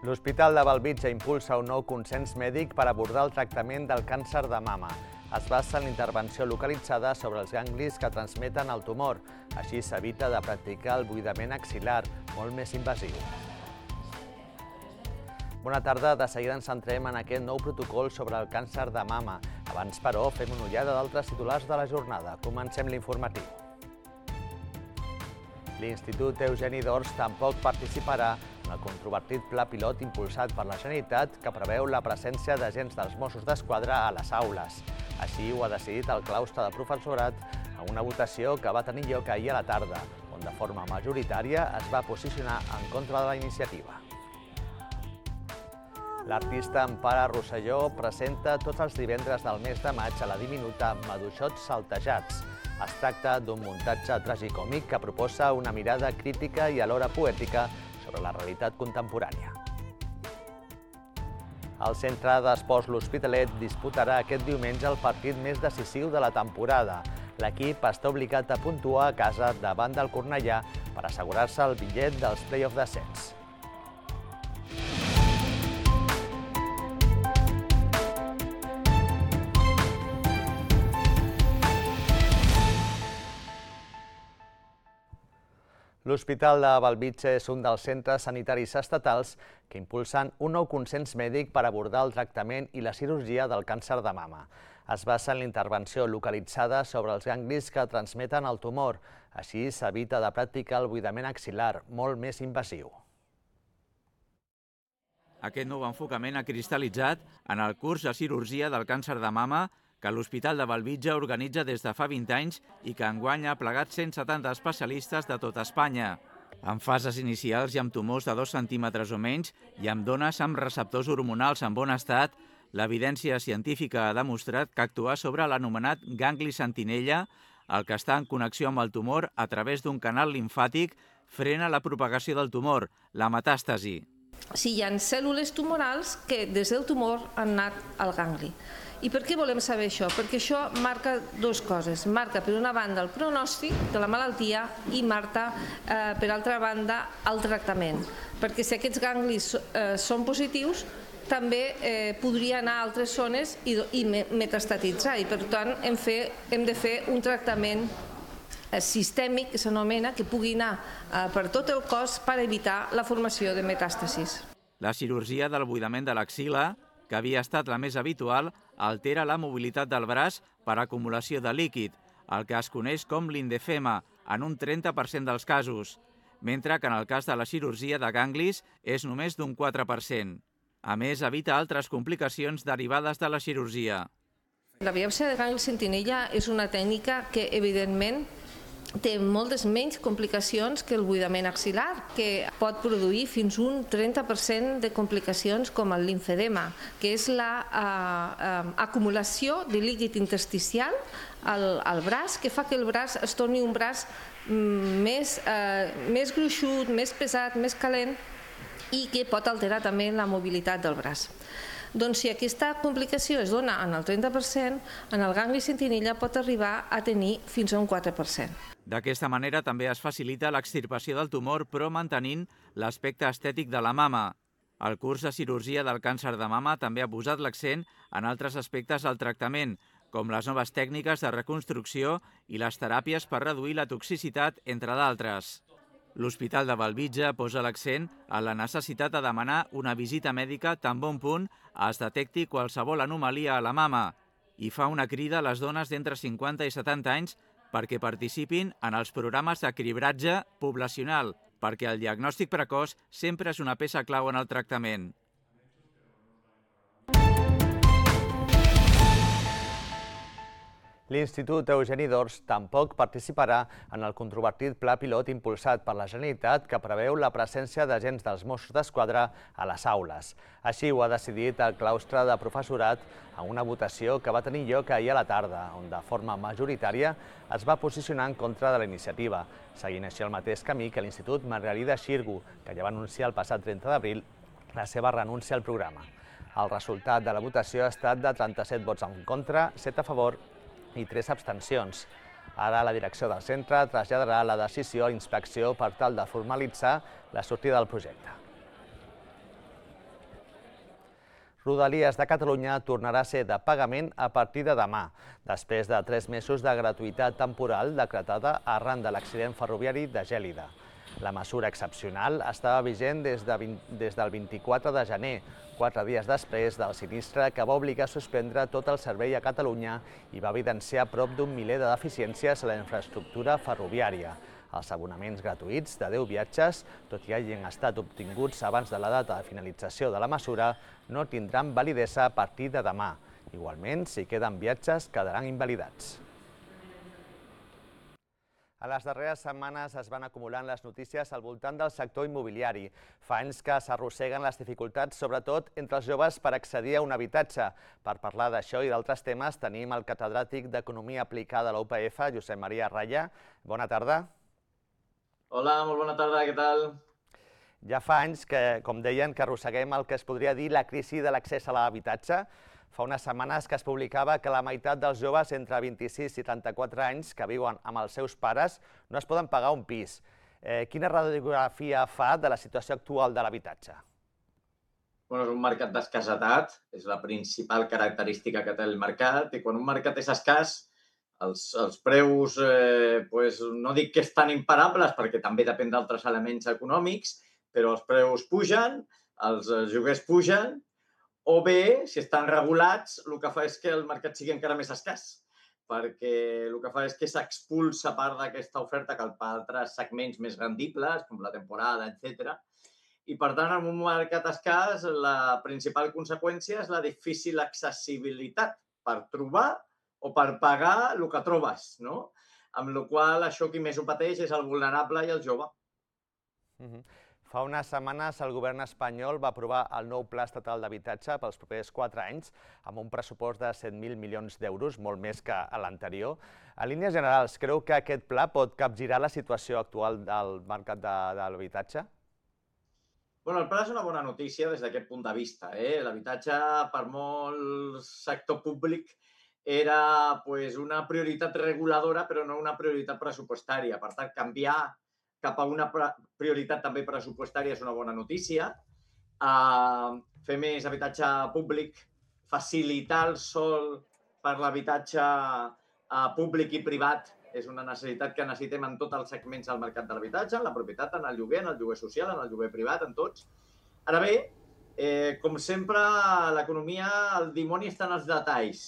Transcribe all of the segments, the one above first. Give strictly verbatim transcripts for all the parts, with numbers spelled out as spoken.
L'Hospital de Bellvitge impulsa un nou consens mèdic per abordar el tractament del càncer de mama. Es basa en la intervenció localitzada sobre els ganglis que transmeten el tumor. Així s'evita de practicar el buidament axil·lar, molt més invasiu. Bona tarda, de seguida ens centrem en aquest nou protocol sobre el càncer de mama. Abans, però, fem una ullada d'altres titulars de la jornada. Comencem l'informatiu. L'Institut Eugeni d'Ors tampoc participarà en el controvertit pla pilot impulsat per la Generalitat que preveu la presència d'agents dels Mossos d'Esquadra a les aules. Així ho ha decidit el claustre de professorat en una votació que va tenir lloc ahir a la tarda, on de forma majoritària es va posicionar en contra de la iniciativa. L'artista Empara Rosselló presenta tots els divendres del mes de maig a la diminuta Maduixots Saltejats. Es tracta d'un muntatge tragicòmic que proposa una mirada crítica i alhora poètica sobre la realitat contemporània. El Centre d'Esports L'Hospitalet disputarà aquest diumenge el partit més decisiu de la temporada. L'equip està obligat a puntuar a casa davant del Cornellà per assegurar-se el bitllet dels play-off d'ascens. L'Hospital de Bellvitge és un dels centres sanitaris estatals que impulsen un nou consens mèdic per abordar el tractament i la cirurgia del càncer de mama. Es basa en la intervenció localitzada sobre els ganglis que transmeten el tumor. Així s'evita de practicar el buidament axil·lar, molt més invasiu. Aquest nou enfocament ha cristal·litzat en el curs de cirurgia del càncer de mama que l'Hospital de Bellvitge organitza des de fa vint anys i que enguany ha plegat cent setanta especialistes de tot Espanya. En fases inicials i amb tumors de dos centímetres o menys i amb dones amb receptors hormonals en bon estat, l'evidència científica ha demostrat que actuar sobre l'anomenat gangli sentinella, el que està en connexió amb el tumor a través d'un canal limfàtic, frena la propagació del tumor, la metàstasi. Si hi ha cèl·lules tumorals que des del tumor han anat al gangli. I per què volem saber això? Perquè això marca dues coses. Marca, per una banda, el pronòstic de la malaltia i marca, eh, per altra banda, el tractament. Perquè si aquests ganglis eh, són positius, també eh, podria anar a altres zones i, i metastatitzar. I, per tant, hem, fe, hem de fer un tractament eh, sistèmic, que s'anomena, que pugui anar eh, per tot el cos per evitar la formació de metàstasis. La cirurgia del buidament de l'axil·la, que havia estat la més habitual, altera la mobilitat del braç per acumulació de líquid, el que es coneix com lindefema, en un trenta per cent dels casos, mentre que en el cas de la cirurgia de ganglis és només d'un quatre per cent. A més, evita altres complicacions derivades de la cirurgia. La biòpsia de gangli sentinella és una tècnica que, evidentment, té moltes menys complicacions que el buidament axil·lar, que pot produir fins un trenta per cent de complicacions com el limfedema, que és l'acumulació de líquid intersticial al, al braç, que fa que el braç es torni un braç més, eh, més gruixut, més pesat, més calent i que pot alterar també la mobilitat del braç. Doncs si aquesta complicació es dona en el trenta per cent, en el gangli sentinella pot arribar a tenir fins a un quatre per cent. D'aquesta manera també es facilita l'extirpació del tumor, però mantenint l'aspecte estètic de la mama. El curs de cirurgia del càncer de mama també ha posat l'accent en altres aspectes del tractament, com les noves tècniques de reconstrucció i les teràpies per reduir la toxicitat, entre d'altres. L'Hospital de Bellvitge posa l'accent en la necessitat de demanar una visita mèdica tan bon punt es detecti qualsevol anomalia a la mama i fa una crida a les dones d'entre cinquanta i setanta anys perquè participin en els programes de cribratge poblacional, perquè el diagnòstic precoç sempre és una peça clau en el tractament. L'Institut Eugeni d'Ors tampoc participarà en el controvertit pla pilot impulsat per la Generalitat que preveu la presència d'agents dels Mossos d'Esquadra a les aules. Així ho ha decidit el claustre de professorat en una votació que va tenir lloc ahir a la tarda, on de forma majoritària es va posicionar en contra de la iniciativa, seguint així el mateix camí que l'Institut Margarida Xirgu, que ja va anunciar el passat trenta d'abril la seva renúncia al programa. El resultat de la votació ha estat de trenta-set vots en contra, set a favor i tres abstencions. Ara la direcció del centre traslladarà la decisió a inspecció per tal de formalitzar la sortida del projecte. Rodalies de Catalunya tornarà a ser de pagament a partir de demà, després de tres mesos de gratuïtat temporal decretada arran de l'accident ferroviari de Gèlida. La mesura excepcional estava vigent des, de vint, des del vint-i-quatre de gener, quatre dies després del sinistre que va obligar a suspendre tot el servei a Catalunya i va evidenciar prop d'un miler de deficiències a la infraestructura ferroviària. Els abonaments gratuïts de deu viatges, tot i hagin estat obtinguts abans de la data de finalització de la mesura, no tindran validesa a partir de demà. Igualment, si queden viatges, quedaran invalidats. A les darreres setmanes es van acumulant les notícies al voltant del sector immobiliari. Fa anys que s'arrosseguen les dificultats, sobretot entre els joves, per accedir a un habitatge. Per parlar d'això i d'altres temes tenim el catedràtic d'Economia Aplicada a la U P F, Josep Maria Raya. Bona tarda. Hola, molt bona tarda, què tal? Ja fa anys que, com deien, que arrosseguem el que es podria dir la crisi de l'accés a l'habitatge. Fa unes setmanes que es publicava que la meitat dels joves entre vint-i-sis i trenta-quatre anys que viuen amb els seus pares no es poden pagar un pis. Eh, quina radiografia fa de la situació actual de l'habitatge? Bueno, és un mercat d'escassetat, és la principal característica que té el mercat, i quan un mercat és escàs, els, els preus, eh, pues, no dic que estan imparables, perquè també depèn d'altres elements econòmics, però els preus pugen, els lloguers pugen, o bé, si estan regulats, el que fa és que el mercat sigui encara més escàs, perquè el que fa és que s'expulsa part d'aquesta oferta cap a altres segments més rendibles, com la temporada, etcètera. I, per tant, en un mercat escàs, la principal conseqüència és la difícil accessibilitat per trobar o per pagar el que trobes, no? Amb la qual cosa, això qui més ho pateix és el vulnerable i el jove. Uh-huh. Fa unes setmanes el govern espanyol va aprovar el nou Pla Estatal d'Habitatge pels propers quatre anys, amb un pressupost de set mil milions d'euros, molt més que a l'anterior. En línies generals, creu que aquest pla pot capgirar la situació actual del mercat de, de l'habitatge? Bueno, el pla és una bona notícia des d'aquest punt de vista. Eh? L'habitatge, per molt sector públic, era pues, una prioritat reguladora, però no una prioritat pressupostària. Per tant, canviar cap a una prioritat també pressupostària és una bona notícia. Uh, fer més habitatge públic, facilitar el sòl per l'habitatge uh, públic i privat és una necessitat que necessitem en tots els segments del mercat de l'habitatge, en la propietat, en el lloguer, en el lloguer social, en el lloguer privat, en tots. Ara bé, eh, com sempre, l'economia, el dimoni està en els detalls.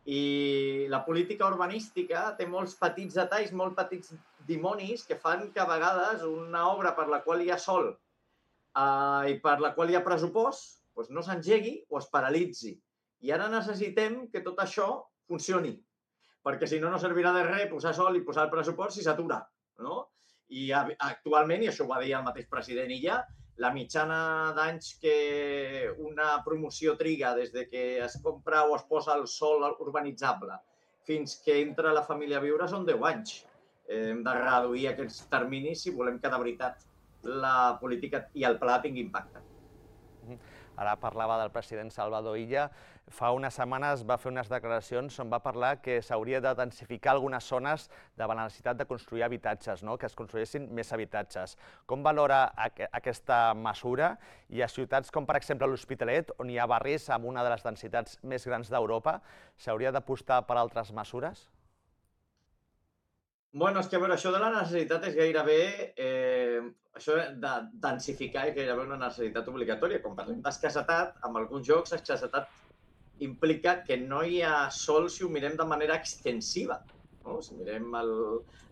I la política urbanística té molts petits detalls, molts petits dimonis que fan que a vegades una obra per la qual hi ha sòl eh, i per la qual hi ha pressupost doncs no s'engegui o es paralitzi. I ara necessitem que tot això funcioni, perquè si no, no servirà de res posar sòl i posar el pressupost si s'atura, no? I actualment, i això ho va dir el mateix president Illa, la mitjana d'anys que una promoció triga des de que es compra o es posa el sòl urbanitzable fins que entra la família a viure són deu anys. Hem de reduir aquests terminis si volem que de veritat la política i el pla tingui impacte. Ara parlava del president Salvador Illa. Fa unes setmanes va fer unes declaracions on va parlar que s'hauria de densificar algunes zones davant la necessitat de construir habitatges, no? Que es construïssin més habitatges. Com valora aquesta mesura? I a ciutats com, per exemple, l'Hospitalet, on hi ha barris amb una de les densitats més grans d'Europa, s'hauria d'apostar per altres mesures? Bueno, és que a veure, això de la necessitat és gairebé... Eh, això de densificar és gairebé una necessitat obligatòria. Quan parlem d'escassetat, en alguns jocs, escassetat implica que no hi ha sol si ho mirem de manera extensiva. No? Si mirem al,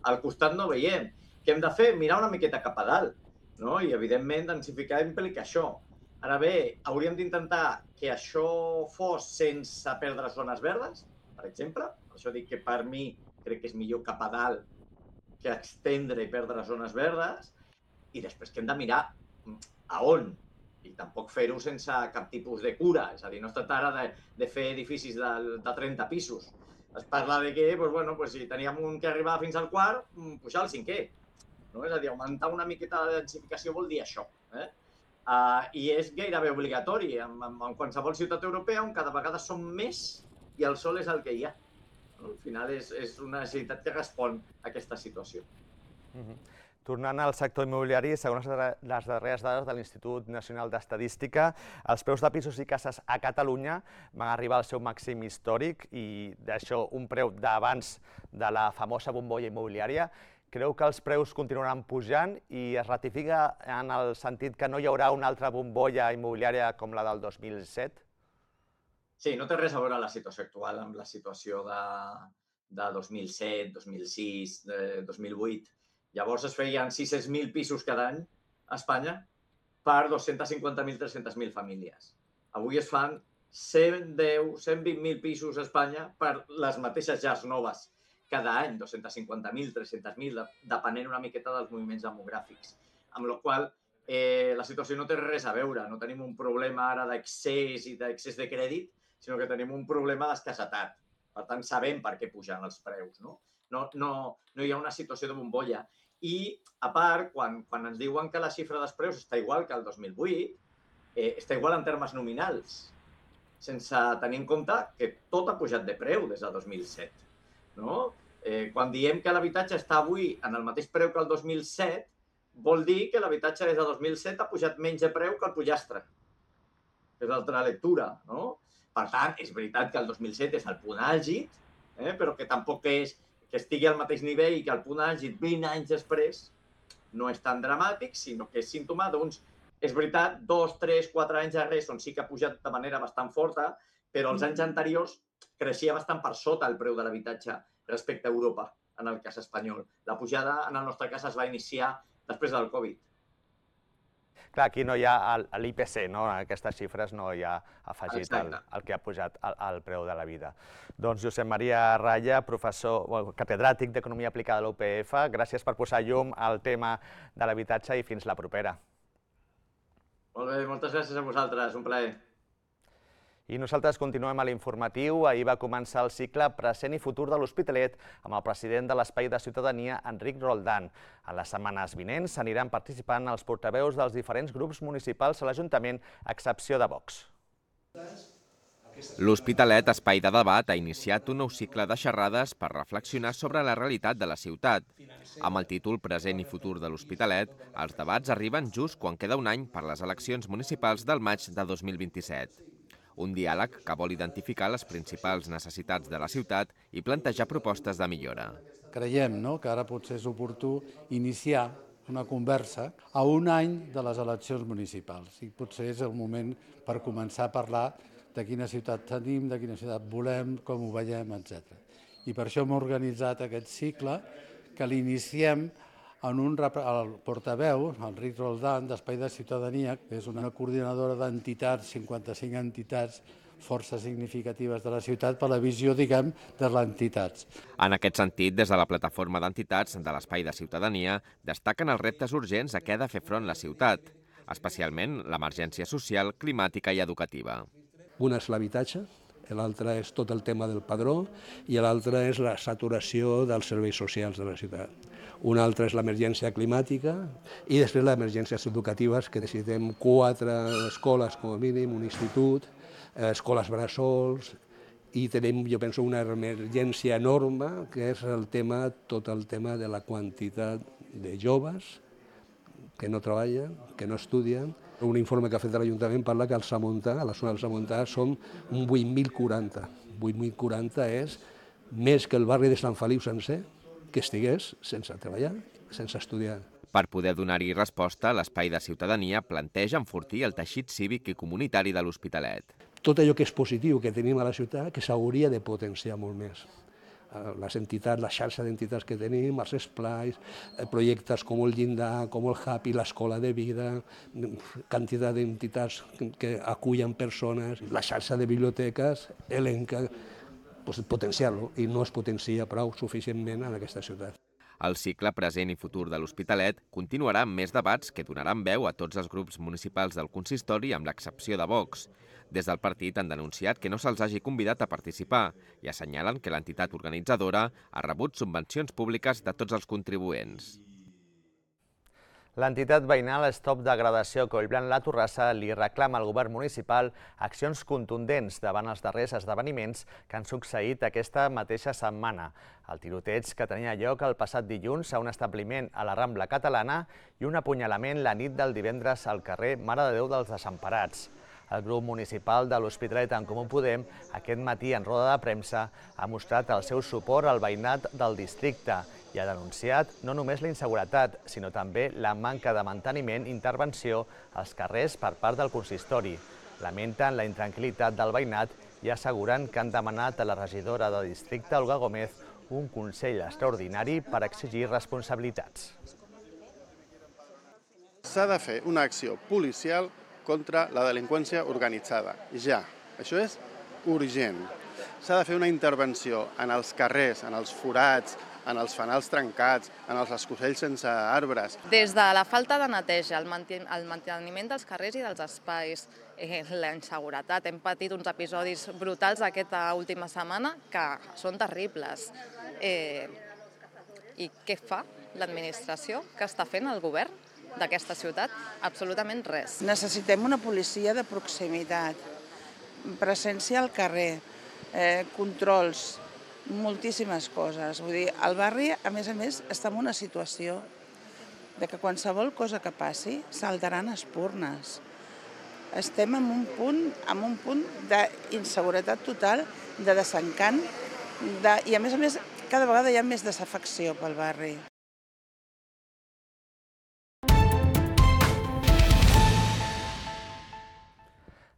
al costat no veiem. Què hem de fer? Mirar una miqueta cap a dalt. No? I, evidentment, densificar implica això. Ara bé, hauríem d'intentar que això fos sense perdre zones verdes, per exemple. Per això dic que per mi crec que és millor cap a dalt que extendre i perdre zones verdes. I després que hem de mirar a on. I tampoc fer-ho sense cap tipus de cura. És a dir, no es tracta ara de, de fer edificis de, de trenta pisos. Es parla de que, doncs, bueno, doncs, si teníem un que arribava fins al quart, pujar al cinquè. No? És a dir, augmentar una miqueta de densificació vol dir això. Eh? Uh, I és gairebé obligatori en, en, en qualsevol ciutat europea on cada vegada som més i el sol és el que hi ha. No? Al final és, és una necessitat que respon a aquesta situació. Uh-huh. Tornant al sector immobiliari, segons les darreres dades de l'Institut Nacional d'Estadística, els preus de pisos i cases a Catalunya van arribar al seu màxim històric i d'això un preu d'abans de la famosa bombolla immobiliària. Creu que els preus continuaran pujant i es ratifica en el sentit que no hi haurà una altra bombolla immobiliària com la del dos mil set? Sí, no té res a veure la situació actual amb la situació de, de dos mil set, dos mil sis, de dos mil vuit. Llavors es feien sis-cents mil pisos cada any a Espanya per dos-cents cinquanta mil, tres-cents mil famílies. Avui es fan cent deu, cent vint mil pisos a Espanya per les mateixes llars noves cada any, dos-cents cinquanta mil, tres-cents mil, depenent una miqueta dels moviments demogràfics. Amb la qual cosa, eh, la situació no té res a veure. No tenim un problema ara d'accés i d'accés de crèdit, sinó que tenim un problema d'escassetat. Per tant, sabem per què pugen els preus, no? No, no, no hi ha una situació de bombolla. I, a part, quan, quan ens diuen que la xifra dels preus està igual que el dos mil vuit, eh, està igual en termes nominals, sense tenir en compte que tot ha pujat de preu des del dos mil set. No? Eh, quan diem que l'habitatge està avui en el mateix preu que el dos mil set, vol dir que l'habitatge des del dos mil set ha pujat menys de preu que el pollastre. És l'altra lectura, no? Per tant, és veritat que el dos mil set és el punt àlgid, eh, però que tampoc és que estigui al mateix nivell i que el punt àlgid vint anys després no és tan dramàtic, sinó que és símptoma d'uns, és veritat, dos, tres, quatre anys darrers on sí que ha pujat de manera bastant forta, però els anys anteriors creixia bastant per sota el preu de l'habitatge respecte a Europa, en el cas espanyol. La pujada, en el nostre cas, es va iniciar després del Covid. Clar, aquí no hi ha l'I P C, no? En aquestes xifres no hi ha afegit el, el que ha pujat el, el preu de la vida. Doncs Josep Maria Raya, professor, bueno, catedràtic d'Economia Aplicada a la U P F, gràcies per posar llum al tema de l'habitatge i fins la propera. Molt bé, moltes gràcies a vosaltres, un plaer. I nosaltres continuem a l'informatiu. Ahir va començar el cicle Present i Futur de l'Hospitalet amb el president de l'Espai de Ciutadania, Enric Roldán. En les setmanes vinents s'aniran participant els portaveus dels diferents grups municipals a l'Ajuntament, a excepció de Vox. L'Hospitalet, espai de debat, ha iniciat un nou cicle de xerrades per reflexionar sobre la realitat de la ciutat. Amb el títol Present i Futur de l'Hospitalet, els debats arriben just quan queda un any per les eleccions municipals del maig de dos mil vint-i-set. Un diàleg que vol identificar les principals necessitats de la ciutat i plantejar propostes de millora. Creiem no, que ara potser és oportú iniciar una conversa a un any de les eleccions municipals. I potser és el moment per començar a parlar de quina ciutat tenim, de quina ciutat volem, com ho veiem, etcètera. I per això hem organitzat aquest cicle que l'iniciem en un el portaveu, Enric Roldán, d'Espai de Ciutadania, que és una coordinadora d'entitats, cinquanta-cinc entitats força significatives de la ciutat per la visió, diguem, de les entitats. En aquest sentit, des de la plataforma d'entitats de l'Espai de Ciutadania, destaquen els reptes urgents a què ha de fer front la ciutat, especialment l'emergència social, climàtica i educativa. Una és l'habitatge, l'altre és tot el tema del padró i l'altre és la saturació dels serveis socials de la ciutat. Una altra és l'emergència climàtica i després les emergències educatives, que necessitem quatre escoles com a mínim, un institut, escoles bressols, i tenim, jo penso, una emergència enorme, que és el tema, tot el tema de la quantitat de joves que no treballen, que no estudien. Un informe que ha fet l'Ajuntament parla que al Samontà, a la zona del Samontà, som un vuit mil quaranta. vuit mil quaranta és més que el barri de Sant Feliu sencer, que estigués sense treballar, sense estudiar. Per poder donar-hi resposta, l'Espai de Ciutadania planteja enfortir el teixit cívic i comunitari de l'Hospitalet. Tot allò que és positiu que tenim a la ciutat, que s'hauria de potenciar molt més. Les entitats, la xarxa d'entitats que tenim, els esplais, projectes com el Llindar, com el Happy, l'Escola de Vida, quantitat d'entitats que acullen persones, la xarxa de biblioteques, elenca, potenciar-lo, i no es potencia prou suficientment en aquesta ciutat. El cicle Present i Futur de l'Hospitalet continuarà amb més debats que donaran veu a tots els grups municipals del consistori, amb l'excepció de Vox. Des del partit han denunciat que no se'ls hagi convidat a participar i assenyalen que l'entitat organitzadora ha rebut subvencions públiques de tots els contribuents. L'entitat veïnal Stop Degradació Collblanc La Torrassa li reclama al govern municipal accions contundents davant els darrers esdeveniments que han succeït aquesta mateixa setmana. El tiroteig que tenia lloc el passat dilluns a un establiment a la Rambla Catalana i un apunyalament la nit del divendres al carrer Mare de Déu dels Desemparats. El grup municipal de l'Hospitalet en Comú Podem aquest matí en roda de premsa ha mostrat el seu suport al veïnat del districte i ha denunciat no només la inseguretat, sinó també la manca de manteniment i intervenció als carrers per part del consistori. Lamenten la intranquil·litat del veïnat i asseguren que han demanat a la regidora de districte, Olga Gómez, un consell extraordinari per exigir responsabilitats. S'ha de fer una acció policial contra la delinqüència organitzada. Ja, això és urgent. S'ha de fer una intervenció en els carrers, en els forats, en els fanals trencats, en els escocells sense arbres. Des de la falta de neteja, el manteniment dels carrers i dels espais, la inseguretat, hem patit uns episodis brutals aquesta última setmana que són terribles. I què fa l'administració? Què està fent el govern d'aquesta ciutat? Absolutament res. Necessitem una policia de proximitat, presència al carrer, controls, moltíssimes coses. Vull dir, el barri, a més a més, està en una situació de que qualsevol cosa que passi saltaran espurnes. Estem en un punt, en un punt d'inseguretat total, de desencant, de, i a més a més, cada vegada hi ha més desafecció pel barri.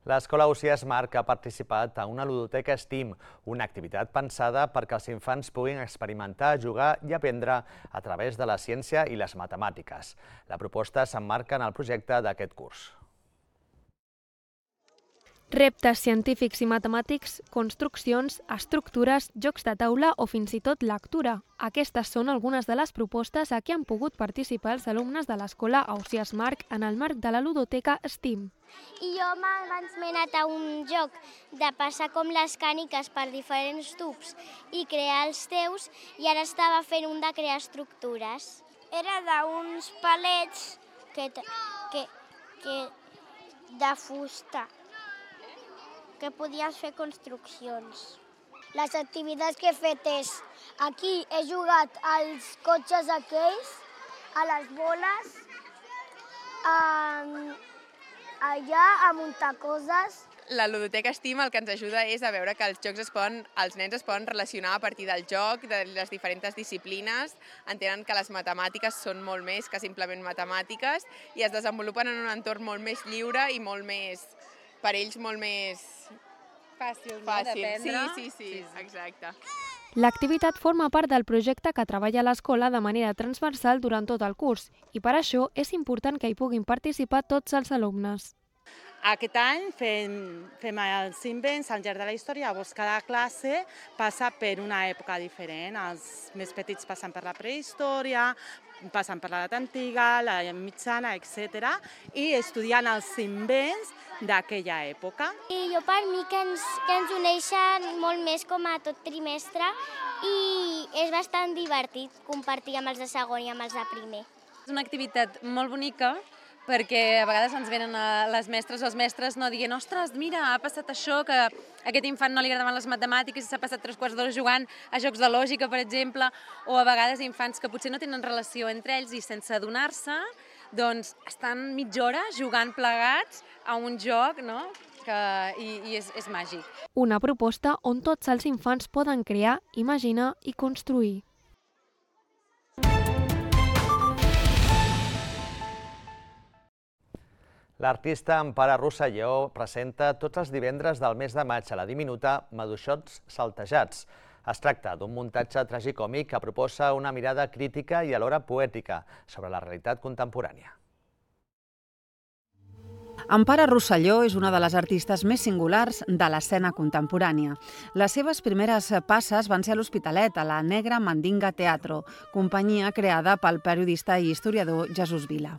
L'Escola Ausiàs Marc ha participat en una ludoteca STEAM, una activitat pensada perquè els infants puguin experimentar, jugar i aprendre a través de la ciència i les matemàtiques. La proposta s'emmarca en el projecte d'aquest curs. Reptes científics i matemàtics, construccions, estructures, jocs de taula o fins i tot lectura. Aquestes són algunes de les propostes a què han pogut participar els alumnes de l'Escola Ausiàs Marc en el marc de la ludoteca STEAM. I jo abans m'he anat a un joc de passar com les càniques per diferents tubs i crear els teus, i ara estava fent un de crear estructures. Era d'uns palets que, que, que de fusta, que podies fer construccions. Les activitats que he fet és, aquí he jugat als cotxes aquells, a les boles, a, allà a muntar coses. La ludoteca STEAM el que ens ajuda és a veure que els jocs es poden, els nens es poden relacionar a partir del joc, de les diferents disciplines, entenen que les matemàtiques són molt més que simplement matemàtiques i es desenvolupen en un entorn molt més lliure i molt més, per ells molt més fàcil, no? Fàcil. D'aprendre. Sí, sí, sí, exacte. L'activitat forma part del projecte que treballa l'escola de manera transversal durant tot el curs i per això és important que hi puguin participar tots els alumnes. Aquest any fem, fem els invents al llarg de la història, llavors cada classe passa per una època diferent. Els més petits passen per la prehistòria, passen per l'edat antiga, la mitjana, etcètera, i estudien els invents d'aquella època. I jo per mi que ens, que ens uneixen molt més com a tot trimestre i és bastant divertit compartir amb els de segon i amb els de primer. És una activitat molt bonica perquè a vegades ens venen les mestres o els mestres no dient ostres, mira, ha passat això, que a aquest infant no li agradaven les matemàtiques i s'ha passat tres quarts d'hora jugant a jocs de lògica, per exemple, o a vegades infants que potser no tenen relació entre ells i sense adonar-se, doncs estan mitja hora jugant plegats a un joc, no? Que, i, i és, és màgic. Una proposta on tots els infants poden crear, imaginar i construir. L'artista Empara Rosselló presenta tots els divendres del mes de maig a la diminuta Maduixots Saltejats. Es tracta d'un muntatge tragicòmic que proposa una mirada crítica i alhora poètica sobre la realitat contemporània. Empara Rosselló és una de les artistes més singulars de l'escena contemporània. Les seves primeres passes van ser a l'Hospitalet, a la Negra Mandinga Teatro, companyia creada pel periodista i historiador Jesús Vila.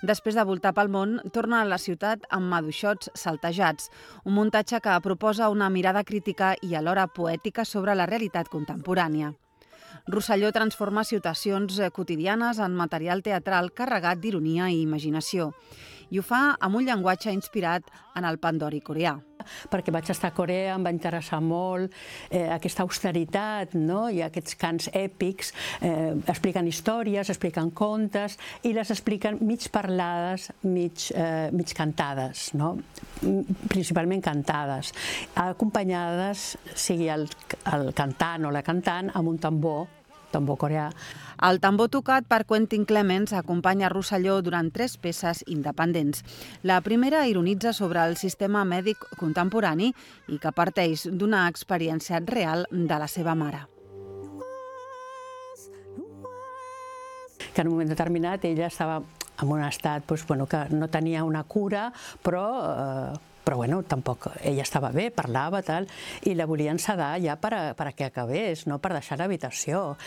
Després de voltar pel món, torna a la ciutat amb Maduixots Saltejats, un muntatge que proposa una mirada crítica i alhora poètica sobre la realitat contemporània. Rosselló transforma situacions quotidianes en material teatral carregat d'ironia i imaginació. I ho fa amb un llenguatge inspirat en el pandori coreà. Perquè vaig estar a Corea, em va interessar molt eh, aquesta austeritat, no? I aquests cants èpics, eh, expliquen històries, expliquen contes i les expliquen mig parlades, mig, eh, mig cantades, no? Principalment cantades, acompanyades, sigui el, el cantant o la cantant, amb un tambor, tambor coreà. El tambor tocat per Quentin Clements acompanya Rosselló durant tres peces independents. La primera ironitza sobre el sistema mèdic contemporani i que parteix d'una experiència real de la seva mare. Que en un moment determinat ella estava en un estat doncs, bueno, que no tenia una cura, però... Eh, però bueno, tampoc ella estava bé, parlava, tal, i la volien sedar ja per a, per a que acabés, no per deixar l'habitació.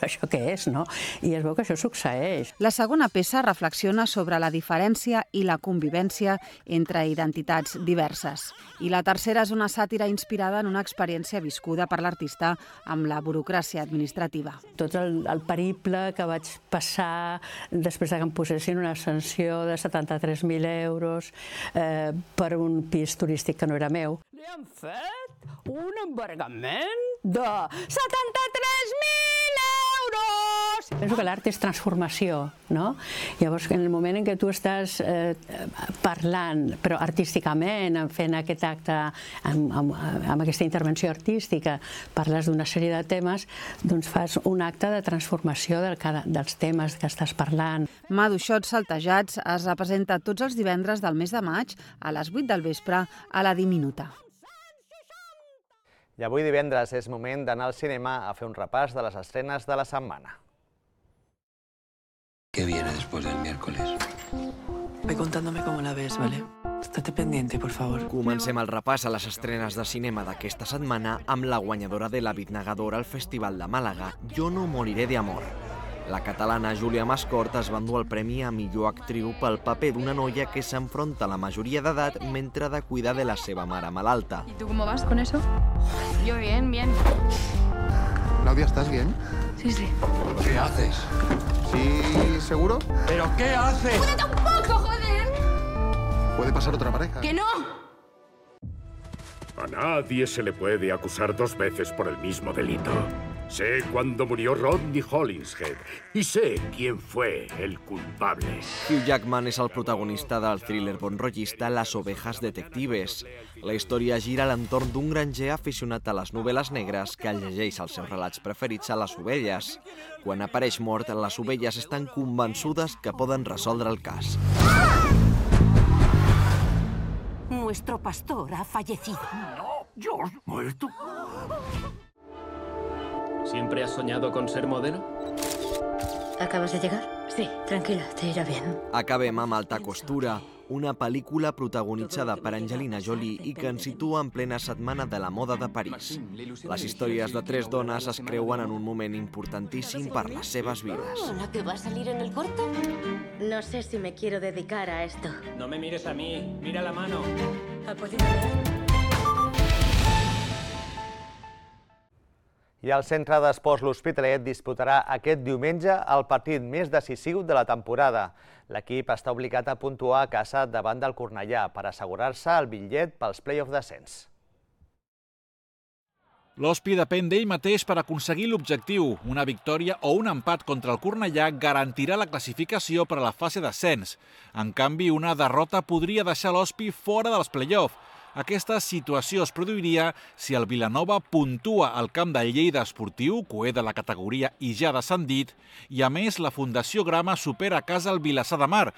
Això què és, no? I es veu que això succeeix. La segona peça reflexiona sobre la diferència i la convivència entre identitats diverses. I la tercera és una sàtira inspirada en una experiència viscuda per l'artista amb la burocràcia administrativa. Tot el, el periple que vaig passar després que em posessin una sanció de setanta-tres mil euros eh, per un pis turístic que no era meu. Li han fet un embargament de setanta-tres mil euros! Penso que l'art és transformació, no? Llavors, en el moment en què tu estàs eh, parlant, però artísticament, fent aquest acte, amb, amb, amb aquesta intervenció artística, parles d'una sèrie de temes, doncs fas un acte de transformació del, dels temes que estàs parlant. Maduixots saltejats es representa tots els divendres del mes de maig a les vuit del vespre a la Diminuta. I avui divendres és moment d'anar al cinema a fer un repàs de les estrenes de la setmana. ¿Qué viene después del miércoles? Ve contándome cómo la ves, ¿vale? Estate pendiente, por favor. Comencem el repàs a les estrenes de cinema d'aquesta setmana amb la guanyadora de la Bitnegadora al Festival de Màlaga, Jo no moriré de amor. La catalana Júlia Mascort es va endur el premi a millor actriu pel paper d'una noia que s'enfronta a la majoria d'edat mentre ha de cuidar de la seva mare malalta. ¿Y tú cómo vas con eso? Yo bien, bien. Claudia, ¿estás bien? Sí, sí. ¿Qué haces? ¿Sí, seguro? ¿Pero qué haces? ¡Júdete un poco, joder! Puede pasar otra pareja. ¡Que no! A nadie se le puede acusar dos veces por el mismo delito. Sé cuándo murió Rodney Hollingshead y sé quién fue el culpable. Hugh Jackman és el protagonista del thriller bonrollista Las ovejas detectives. La història gira a l'entorn d'un granger aficionat a les novel·les negres que llegeix els seus relats preferits a les ovelles. Quan apareix mort, les ovelles estan convençudes que poden resoldre el cas. Nuestro pastor ha fallecido. No, George, muerto. ¿Siempre has soñado con ser modelo? ¿Acabas de llegar? Sí, tranquila, te irá bien. Acabem amb Alta costura, una pel·lícula protagonitzada per Angelina Jolie i que ens situa en plena setmana de la moda de París. Les històries de tres dones es creuen en un moment importantíssim per les seves vides. ¿La que va a salir en el corto? No sé si me quiero dedicar a esto. No me mires a mí, mira la mano. ¿Ha podido ver? I el Centre d'Esports L'Hospitalet disputarà aquest diumenge el partit més decisiu de la temporada. L'equip està obligat a puntuar a casa davant del Cornellà per assegurar-se el bitllet pels play-off d'ascens. L'Hospi depèn d'ell mateix per aconseguir l'objectiu. Una victòria o un empat contra el Cornellà garantirà la classificació per a la fase d'ascens. En canvi, una derrota podria deixar l'Hospi fora dels play-off. Aquesta situació es produiria si el Vilanova puntua al camp del Lleida Esportiu, coer de la categoria i ja descendit, i a més la Fundació Grama supera a casa el Vilassar de Mar,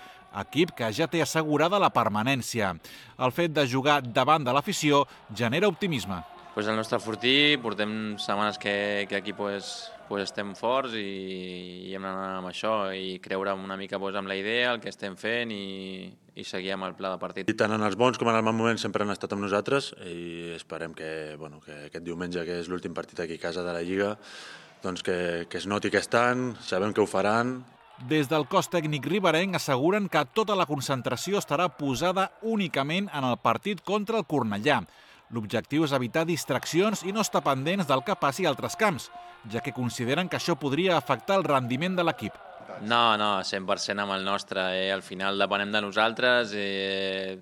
equip que ja té assegurada la permanència. El fet de jugar davant de l'afició genera optimisme. Pues el nostre fortí, portem setmanes que, que aquí pues, pues estem forts i, i hem d'anar amb això i creure una mica pues, amb la idea, el que estem fent i, i seguir amb el pla de partit. I tant en els bons com en els mals moments sempre han estat amb nosaltres i esperem que, bueno, que aquest diumenge, que és l'últim partit aquí a casa de la Lliga, doncs que, que es noti que estan, sabem que ho faran. Des del cos tècnic riberenc asseguren que tota la concentració estarà posada únicament en el partit contra el Cornellà. L'objectiu és evitar distraccions i no estar pendents del que passi a altres camps, ja que consideren que això podria afectar el rendiment de l'equip. No, no, cent per cent amb el nostre. Eh? Al final depenem de nosaltres. Eh,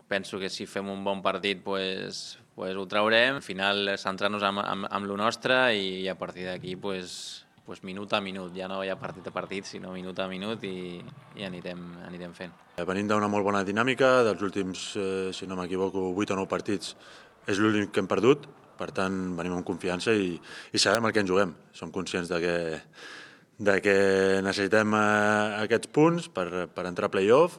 penso que si fem un bon partit pues, pues ho traurem. Al final centrar-nos amb, amb, amb lo nostre i a partir d'aquí pues, pues minut a minut. Ja no hi ha partit a partit, sinó minut a minut i, i anirem, anirem fent. Venim d'una molt bona dinàmica. Dels últims, eh, si no m'equivoco, vuit o nou partits és l'únic que hem perdut. Per tant, venim amb confiança i, i sabem el que ens juguem. Som conscients de que de que necessitem eh, aquests punts per, per entrar a play-off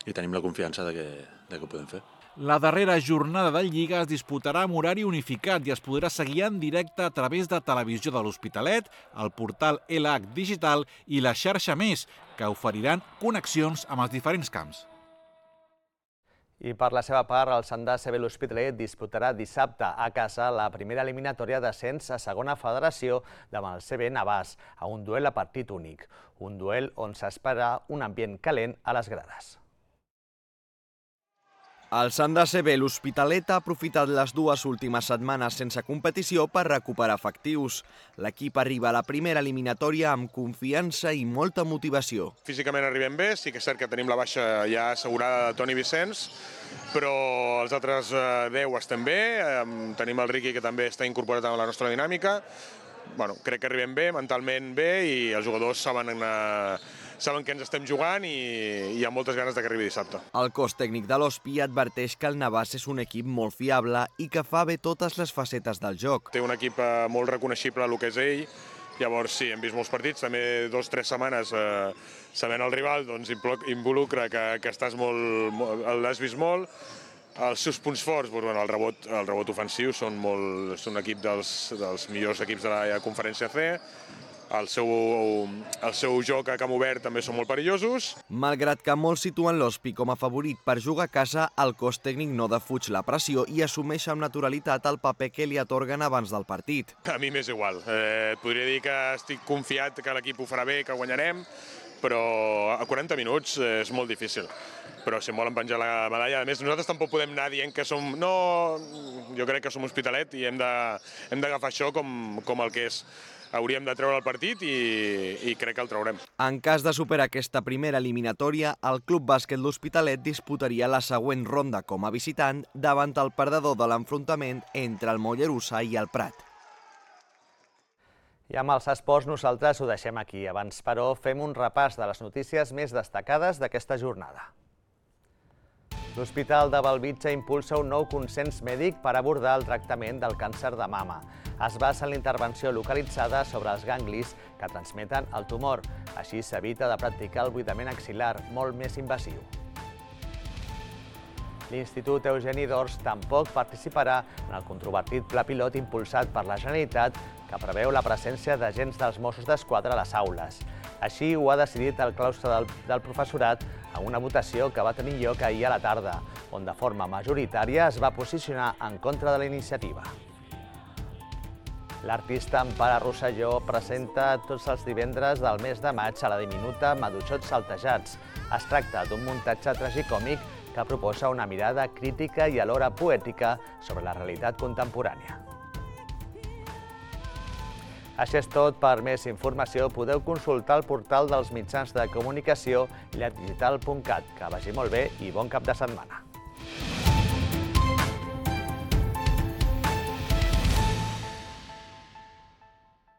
i tenim la confiança de que, de que ho podem fer. La darrera jornada de Lliga es disputarà amb horari unificat i es podrà seguir en directe a través de Televisió de l'Hospitalet, el portal L H Digital i la xarxa Més, que oferiran connexions amb els diferents camps. I per la seva part, el Sant C B l'Hospitalet disputarà dissabte a casa la primera eliminatòria d'ascens a segona federació davant el C B Navàs, a un duel a partit únic. Un duel on s'espera un ambient calent a les grades. El Sant C B l'Hospitalet ha aprofitat les dues últimes setmanes sense competició per recuperar efectius. L'equip arriba a la primera eliminatòria amb confiança i molta motivació. Físicament arribem bé, sí que és cert que tenim la baixa ja assegurada de Toni Vicenç, però els altres deu estem bé, tenim el Riqui que també està incorporat en la nostra dinàmica. Bueno, crec que arribem bé, mentalment bé, i els jugadors saben, eh, saben que ens estem jugant i hi ha moltes ganes de que arribi dissabte. El cos tècnic de l'Hospi adverteix que el Navàs és un equip molt fiable i que fa bé totes les facetes del joc. Té un equip eh, molt reconeixible el que és ell, llavors sí, hem vist molts partits, també dos o tres setmanes eh, sabent el rival, doncs involucra que, que estàs molt, l'has vist molt. Els seus punts forts, doncs, bueno, el, rebot, el rebot ofensiu, són, molt, són un equip dels, dels millors equips de la conferència C. El seu, el seu joc a camp obert també són molt perillosos. Malgrat que molts situen l'Hospi com a favorit per jugar a casa, el cos tècnic no defuig la pressió i assumeix amb naturalitat el paper que li atorguen abans del partit. A mi m'és igual. Eh, podria dir que estic confiat que l'equip ho farà bé, que guanyarem, però a quaranta minuts és molt difícil. Però si em volen penjar la medalla, a més, nosaltres tampoc podem anar dient que som... No, jo crec que som Hospitalet i hem d'agafar això com, com el que és. Hauríem de treure el partit i, i crec que el traurem. En cas de superar aquesta primera eliminatòria, el Club Bàsquet l'Hospitalet disputaria la següent ronda com a visitant davant el perdedor de l'enfrontament entre el Mollerussa i el Prat. I amb els esports nosaltres ho deixem aquí. Abans, però, fem un repàs de les notícies més destacades d'aquesta jornada. L'Hospital de Bellvitge impulsa un nou consens mèdic per abordar el tractament del càncer de mama. Es basa en la intervenció localitzada sobre els ganglis que transmeten el tumor. Així s'evita de practicar el buidament axil·lar, molt més invasiu. L'Institut Eugeni d'Ors tampoc participarà en el controvertit pla pilot impulsat per la Generalitat que preveu la presència d'agents dels Mossos d'Esquadra a les aules. Així ho ha decidit el claustre del, del professorat en una votació que va tenir lloc ahir a la tarda, on de forma majoritària es va posicionar en contra de la iniciativa. L'artista Empara Rosselló presenta tots els divendres del mes de maig a la diminuta Maduixots Saltejats. Es tracta d'un muntatge tragicòmic que proposa una mirada crítica i alhora poètica sobre la realitat contemporània. Això és tot. Per més informació podeu consultar el portal dels mitjans de comunicació llardigital punt cat. Que vagi molt bé i bon cap de setmana.